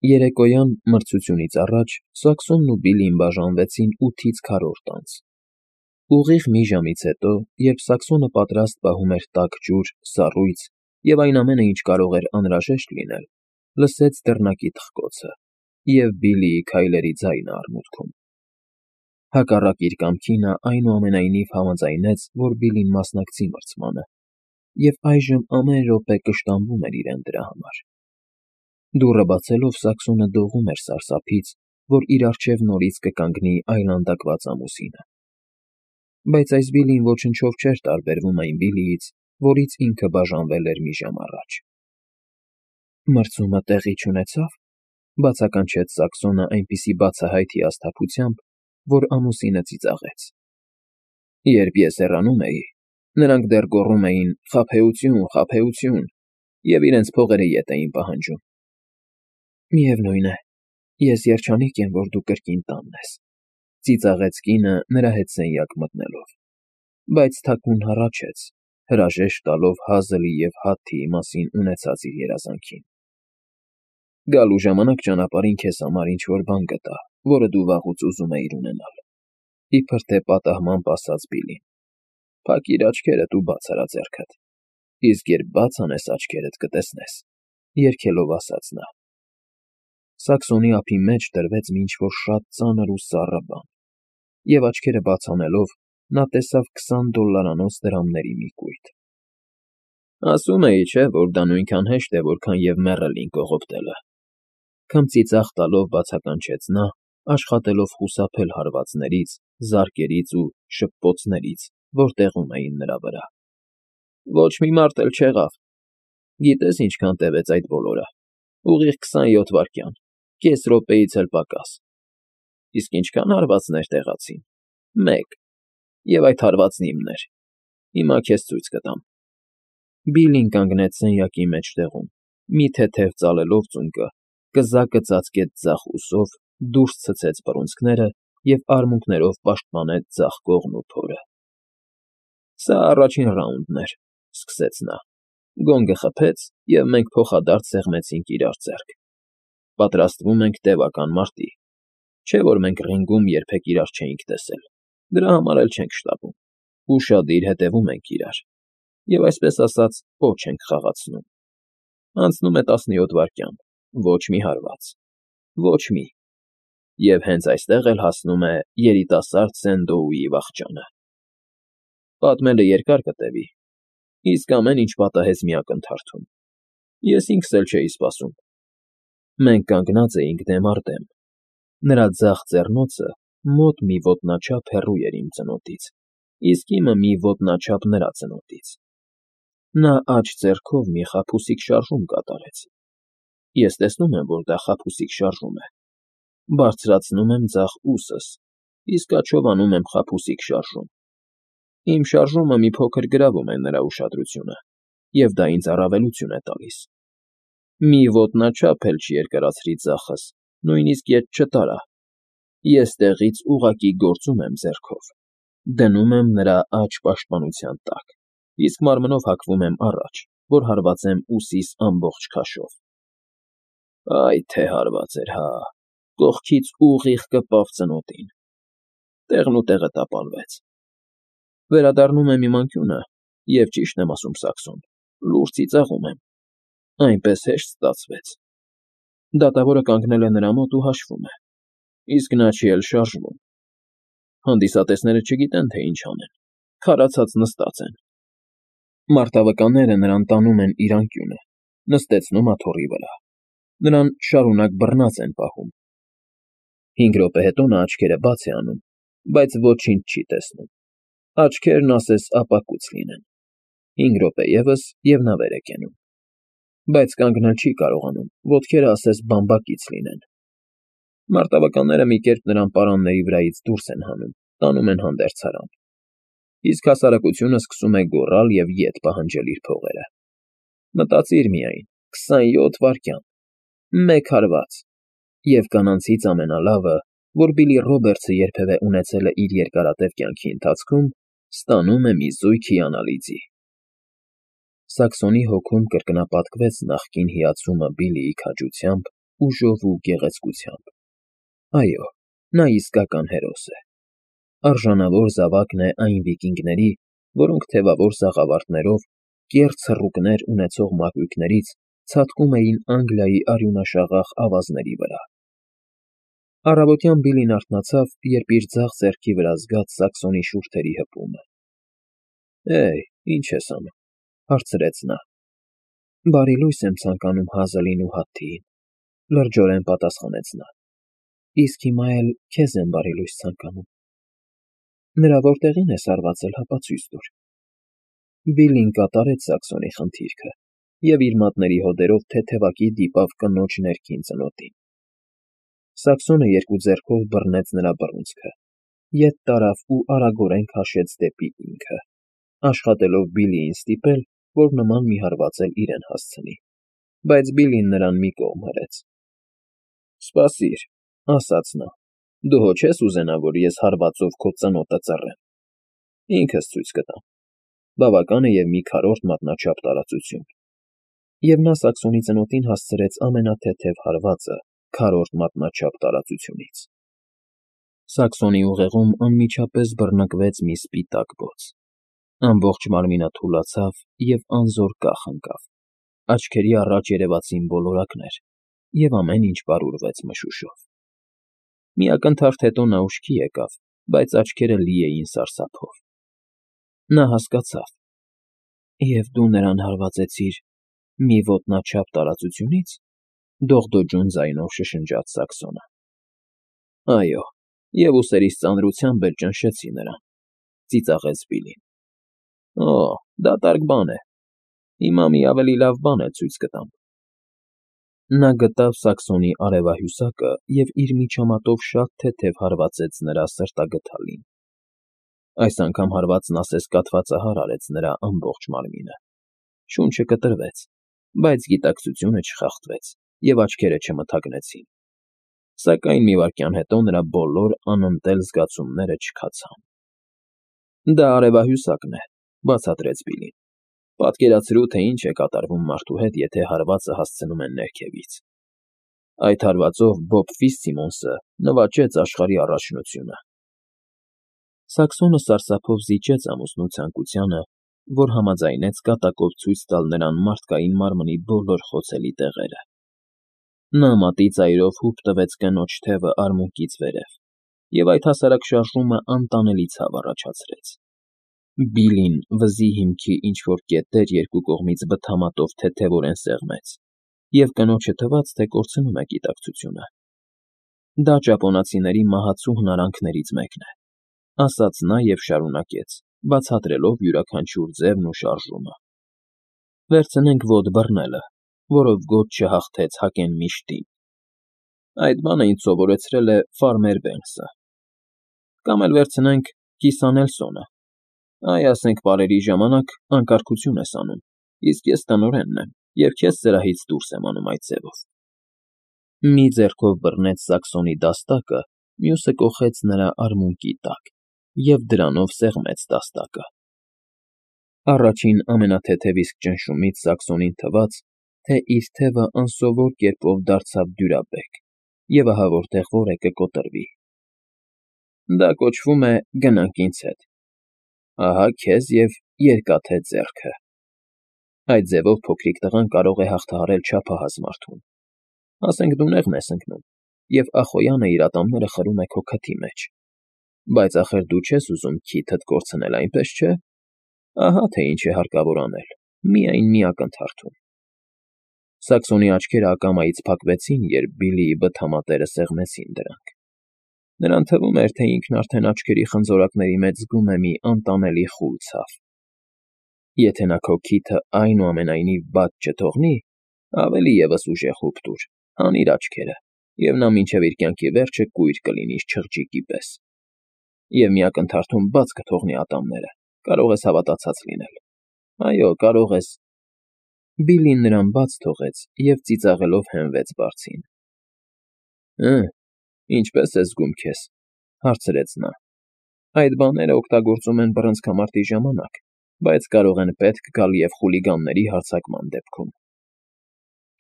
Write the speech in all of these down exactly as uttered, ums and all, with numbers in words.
Երեկոյան մրցությունից առաջ Սաքսոնն ու Բիլլին բաժանվեցին ութից քառորդ անց. ուղիղ մի ժամից հետո, երբ Սաքսոնը պատրաստ պահում էր տաք ջուր, սառույց և այն ամենը, ինչ կարող էր անհրաժեշտ լինել, լսեց դռնակի թխկոցը, և Բիլլիի քայլերի ձայնը արմունկում։ Հակառակ իր կամքի նա այնուամենայնիվ համաձայնեց, որ Բիլլին մասնակցի մրցմանը, և այժմ ամեն րոպե կշտամբում էր իրեն դրա համար։ Դուռը բացելով Սաքսոնը դողում էր սարսափից, որ իր առջև նորից կկանգնի այլանդակված ամուսինը։ Բայց այս Բիլլին ոչնչով չէր տարբերվում այն Բիլլիից, որից ինքը բաժանվել էր մի ժամ առաջ։ Մրցումը տեղի չունեցա՞վ,֊ բացականչեց Սաքսոնը այնպիսի բացահայտ հիասթափությամբ, որ ամուսինը ծիծաղեց։ Երբ ես հեռանում էի, նրանք դեռ գոռում էին «խաբեություն, խաբեություն» և իրենց փողերը ետ էին պահանջում։ Միևնույն է, ես երջանիկ եմ, որ դու կրկին տանն ես,֊ ծիծաղեց կինը նրա հետ սենյակ մտնելով, բայց թաքուն հառաչեց, հրաժեշտ տալով Հազլի և Հաթթիի մասին ունեցած իր երազանքին։ Գալու ժամանակ ճանապարհին քեզ համար ինչ֊որ բան գտա, որը դու վաղուց ուզում էիր ունենալ,֊ իբր թե պատահմամբ ասաց Բիլլին։ Փակիր աչքերդ ու բաց արա ձեռքդ, իսկ երբ բաց անես աչքերդ, կտեսնես,֊ երգելով ասաց նա։ Սաքսոնի ափի մեջ դրվեց մի ինչ֊որ շատ ծանր ու սառը բան, և աչքերը բաց անելով՝ նա տեսավ քսան դոլլարանոց դրամների մի կույտ։ Ասում էի, չէ՞, որ դա նույնքան հեշտ է, որքան և մեռելին կողոպտելը,֊ քմծիծաղ տալով բացականչեց նա, աշխատելով խուսափել հարվածներից, զարկերից ու շփպոցներից, որ տեղում էին նրա վրա։ Ոչ մի մարդ էլ չեղավ։ Գիտես ինչքան տևեց այդ բոլորը։ Ուղիղ քսանյոթ վայրկյան, կես րոպեից էլ պակաս։ Իսկ ինչքան հարվածներ տեղացին։ Մեկ, և այդ հարվածն իմն էր։ Հիմա քեզ ցույց կտամ։ Բիլլին կանգնեց սենյակի մեջտեղում, մի թեթև ծալելով ծունկը, կզակը ծածկեց ձախ ուսով, դուրս ցցեց բռունցքները և արմունկներով պաշտպանեց ձախ կողն ու փորը։ Սա առաջին ռաունդն էր,֊ սկսեց նա։ Գոնգը խփեց, և մենք փոխադարձ սեղմեցինք իրար ձեռք։ Պատրաստվում ենք տևական մարտի։ Չէ՞ որ մենք ռինգում երբեք իրար չէինք տեսել, դրա համար էլ չենք շտապում։ Ուշադիր հետևում ենք իրար և, այսպես ասած, պոչ ենք խաղացնում։ Անցնում է տասնյոթ վայրկյան, ոչ մի հարված, ոչ մի… Եվ հենց այստեղ էլ հասնում է երիտասարդ Սենդոուի վախճանը։ Պատմելը երկար կտևի, իսկ ամեն ինչ պատահեց մի ակնթարթում։ Ես ինքս էլ չէի սպասում։ Մենք կանգնած էինք դեմ առ դեմ։ Նրա ձախ ձեռնոցը մոտ մի ոտնաչափ հեռու էր իմ ծնոտից, իսկ իմը մի ոտնաչափ նրա ծնոտից։ Նա աջ ձեռքով մի խաբուսիկ շարժում կատարեց։ Ես տեսնում եմ, որ դա խաբուսիկ շարժում է։ Բարձրացնում եմ ձախ ուսս, իսկ աջով անում եմ խաբուսիկ շարժում։ Իմ շարժումը մի փոքր գրավում է նրա ուշադրությունը, և դա ինձ առավելություն է տալիս։ Մի ոտնաչափ էլ չերկարացրի ձախս, նույնիսկ ետ չտարա։ Ես տեղից ուղղակի գործում եմ ձեռքով, դնում եմ նրա աջ պաշտպանության տակ, իսկ մարմնով հակվում եմ առաջ, որ հարվածեմ ուսիս ամբողջ քաշով։ Այ թե հարված էր, հա՜, կողքից ուղիղ կպավ ծնոտին։ Տեղնուտեղը տապալվեց։ Վերադառնում եմ իմ անկյունը և, ճիշտն եմ ասում, Սաքսոն, լուրջ ծիծաղում եմ։ Այնպես հեշտ ստացվեց։ Դատավորը կանգնել է նրա մոտ ու հաշվում է, իսկ նա չի էլ շարժվում։ Հանդիսատեսները չգիտեն, թե ինչ անեն, քարացած նստած են։ Մարտավկանները նրան տանում են իր անկյունը, նստեցնում աթոռի վրա։ Նրան շարունակ բռնած են պահում։ Հինգ րոպե հետո նա աչքերը բաց է անում, բայց ոչինչ չի տեսնում։ Աչքերն ասես ապակուց լինեն։ Հինգ րոպե ևս, և նա վեր է կենում։ Բայց կանգնել չի կարողանում, ոտքերը ասես բամբակից լինեն։ Մարտավականները մի կերպ նրան պարանների վրայից դուրս են հանում, տանում են հանդերձարան։ Իսկ հասարակությունը սկսում է գոռալ և ետ պահանջել իր փողերը։ Մտածիր միայն, քսանյոթ վայրկյան, մեկ հարված… Եվ կանացից ամենալավը, որ Բիլլի Ռոբերտսը երբևէ ունեցել է իր երկարատև կյանքի ընթացքում, ստանում է մի զույգ հիանալի ձի։ Սաքսոնի հոգում կրկնապատկվեց նախկին հիացումը Բիլլիի քաջությամբ ուժով ու գեղեցկությամբ։ Այո, նա իսկական հերոս է։ Արժանավոր զավակն է այն վիկինգների, որոնք թևավոր սաղավարտներով, կեռ ցռուկներ ունեցող մակույկներից ցատկում էին Անգլիայի արյունաշաղախ ավազների վրա։ Առավոտյան Բիլլին արթնացավ, երբ իր ձախ ձեռքի վրա զգաց Սաքսոնի շուրթերի հպումը։ «Հեյ, ի՞նչ ես անում,֊ հարցրեց նա։ «Բարի լույս եմ ցանկանում Հազլին ու Հատթիին,֊ լրջորեն պատասխանեց նա։ Իսկ հիմա էլ քեզ եմ բարի լույս ցանկանում։ Նրա որտեղի՞ն ես հարվածել, հապա ցույց տուր»։ Բիլլին կատարեց Սաքսոնի խնդիրքը և իր մատների հոդերով թեթևակի դիպավ կնոջ ներքին ծնոտին։ Սաքսոնը երկու ձեռքով բռնեց նրա բռունցքը, ետ տարավ ու արագորեն քաշեց դեպի ինքը, աշխատելով Բիլլիին ստիպել, որ նման մի հարված էլ իրեն հասցնի, բայց Բիլլին նրան մի կողմ հրեց։ «Սպասիր,֊ ասաց նա,֊ դու հո չես ուզենա, որ ես հարվածով քո ծնոտը ծռեմ։ Ինքս ցույց կտամ։ Բավական է և մի քառորդ մատնաչափ տարածություն»։ Եվ նա Սաքսոնի ծնոտին հասցրեց ամենաթեթև հարվածը քառորդ մատնաչափ տարածությունից։ Սաքսոնի ուղեղում անմիջապես բռնկվեց մի սպիտակ բոց։ Ամբողջ մարմինը թուլացավ և անզոր կախ ընկավ, աչքերի առաջ երևացին բոլորակներ, և ամեն ինչ պարուրվեց մշուշով։ Մի ակնթարթ հետո նա ուշքի եկավ, բայց աչքերը լի էին սարսափով։ Նա հասկացավ. «Եվ դու նրան հարվածեցիր մի ոտնաչափ տարածությունի՞ց,֊ դողդոջուն ձայնով շշնջաց Սաքսոնը։ «Այո, և ուսերիս ծանրությամբ էլ ճնշեցի նրան,֊ ծիծաղեց Բիլլին։ Օ, դատարկ բան է։ Հիմա մի ավելի լավ բան էլ ցույց կտամ»։ Նա գտավ Սաքսոնի արևահյուսակը և իր միջամտով շատ թեթև հարվածեց նրա սրտագդալին։ Այս անգամ հարվածն ասես կաթվածահար արեց նրա ամբողջ մարմինը։ Շունչը կտրվեց, բայց գիտակցությունը չխախտվեց, և աչքերը չմթագնեցին։ Սակայն մի վայրկյան հետո նրա բոլոր անընդել զգացումները չքացան։ «Դա արևահյուսակն է,֊ բացատրեց Բիլլին։ Պատկերացրու, թե ինչ է կատարվում մարդու հետ, եթե հարվածը հասցնում են ներքևից։ Այդ հարվածով Բոբ Ֆիցսիմոնսը նվաճեց աշխարհի առաջնությունը»։ Սաքսոնը սարսափով զիջեց ամուսնու ցանկությանը, որ համաձայնեց կատակով ցույց տալ նրան մարդկային մարմնի բոլոր խոցելի տեղերը։ Նա մատի ծայրով հուպ տվեց կնոջ թևը արմունկից վերև, և այդ հասարակ շարժումը անտանելի ցավ առաջացրեց։ Բիլլին վզի հիմքի ինչ֊որ կետեր երկու կողմից բթամատով թեթևորեն սեղմեց, և կնոջը թվաց, թե կորցնում է գիտակցությունը։ «Դա ճապոնացիների մահացու հնարանքներից մեկն է,֊ ասաց նա և շարունակեց, բացատրելով յուրաքանչյուր ձևն ու շարժումը։ Վերցնենք ոդ բռնելը, որով գոտ չհաղթեց Հակենմիշտին։ Այդ բանը ինձ սովորեցրել է Ֆարմեր Բենքսը։ Կամ էլ վերցնենք Կիսանելսոնը։ Այ, ասենք պարերի ժամանակ անկարգություն ես անում, իսկ ես տնօրենն եմ, և քեզ սրահից դուրս եմ անում այդ ձևով։ Մի ձեռքով բռնեց Սաքսոնի դաստակը, մյուսը կոխեց նրա արմունկի տակ և դրանով սեղմեց դաստակը։ Առաջին ամենաթեթև իսկ ճնշումից Սաքսոնին թվաց, թե իր թևը անսովոր կերպով դարձավ դյուրաբեկ, և ահա որտեղ որ է կկոտրվի։ «Դա կոչվում է գնանք ինձ հետ։ Ահա քեզ և երկաթե ձեռքը։ Այդ ձևով փոքրիկ տղան կարող է հաղթահարել չափահաս մարդուն։ Ասենք դու նեղն ես ընկնում, և Ախոյանը իր ատամները խրում է քո քթի մեջ։ Բայց ախր դու չես ուզում քիթդ կորցնել, այնպես չէ։ Ահա թե ինչ է հարկավոր անել, միայն մի ակնթարթում»։ Սաքսոնի աչքերը ակամայից փակվեցին, երբ Բիլլիի բթամատերը սեղմեցին դրանք։ Նրան թվում էր, թե ինքն արդեն աչքերի խնձորակների մեջ զգում է մի անտանելի խուլ ցավ։ «Եթե նա քո քիթը այնուամենայնիվ բաց չթողնի, ավելի ևս ուժեղ հուպ տուր, հանիր աչքերը, և նա մինչև իր կյանքի վերջը կույր կլինի չղջիկի պես։ Եվ մի ակնթարթում բաց կթողնի ատամները, կարող ես հավատացած լինել։ Այո, կարող ես»։ Բիլլին նրան բաց թողեց և ծիծաղելով հենվեց բարձին։ «Հը, ինչպե՞ս ես զգում քեզ,֊ հարցրեց նա։ «Այդ բաները օգտագործում են բռնցքամարտի ժամանակ, բայց կարող են պետք գալ և խուլիգանների հարձակման դեպքում»։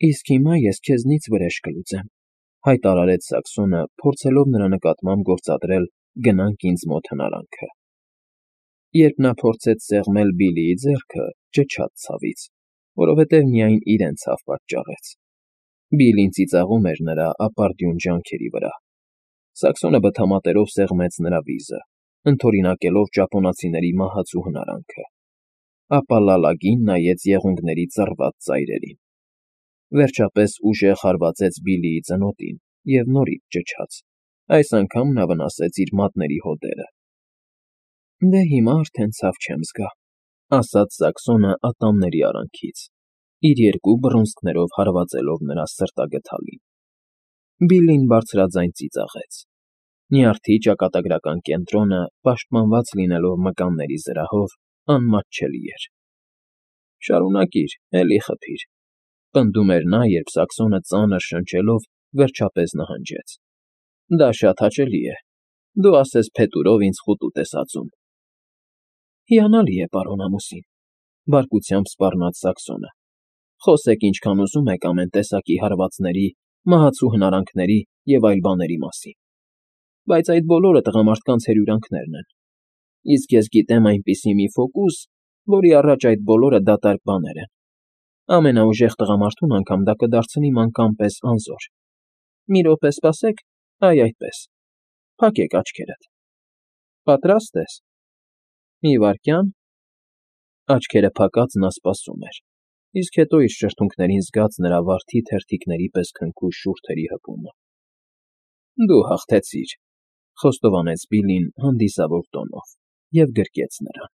Իսկ հիմա ես քեզնից վրեժ կլուծեմ,֊ հայտարարեց Սաքսոնը, փորձելով նրա նկատմամբ գործադրել «գնանք ինձ մոտ» հնարանքը։ Երբ նա փորձեց սեղմել Բիլլիի ձեռքը, ճչաց ցավից, որովհետև միայն իրեն ցավ պատճառեց։ Բիլլին ծիծաղում էր նրա ապարդյուն ջանքերի վրա։ Սաքսոնը բթամատերով սեղմեց նրա վիզը, ընդօրինակելով ճապոնացիների մահացու հնարանքը, ապա լալագին նայեց եղունգների ծռված ծայրերին։ Վերջապես ուժեղ հարվածեց Բիլլիի ծնոտին և նորից ճչաց, այս անգամ նա վնասեց իր մատների հոդերը։ «Դե հիմա արդեն ցավ չեմ զգա,֊ ասաց Սաքսոնը ատամների արանքից, իր երկու բռունցքներով հարվածելով նրա սրտագդալին։ Բիլլին բարձրաձայն ծիծաղեց։ Նյարդի ճակատագրական կենտրոնը, պաշտպանված լինելով մկանների զրահով, անմատչելի էր։ «Շարունակիր, էլի խփիր,֊ պնդում էր նա, երբ Սաքսոնը ծանր շնչելով վերջապես նահանջեց։֊ Դա շատ հաճելի է։ Դու ասես փետուրով ինձ խուտուտ ես ածում»։ «Հիանալի է, պարոն ամուսին,֊ բարկությամբ սպառնաց Սաքսոնը,֊ խոսեք ինչքան ուզում եք ամեն տեսակի հարվածների, մահացու հնարանքների և այլ բաների մասին, բայց այդ բոլորը տղամարդկանց հրյուրանքներն են, իսկ ես գիտեմ այնպիսի մի ֆոկուս, որի առաջ այդ բոլորը դատարկ բաներ են։ Ամենաուժեղ տղամարդուն անգամ դա կդարձնի մանկան պես անզոր։ Մի րոպե սպասեք, այ այդպես, փակեք աչքերդ։ Պատրա՞ստ ես։ Մի վայրկյան…» Աչքերը փակած նա սպասում էր, իսկ հետո իր շրթունքներին զգաց նրա վարդի թերթիկների պես քնքուշ շուրթերի հպումը։ «Դու հաղթեցիր,֊ խոստովանեց Բիլլին հանդիսավոր տոնով և գրկեց նրան։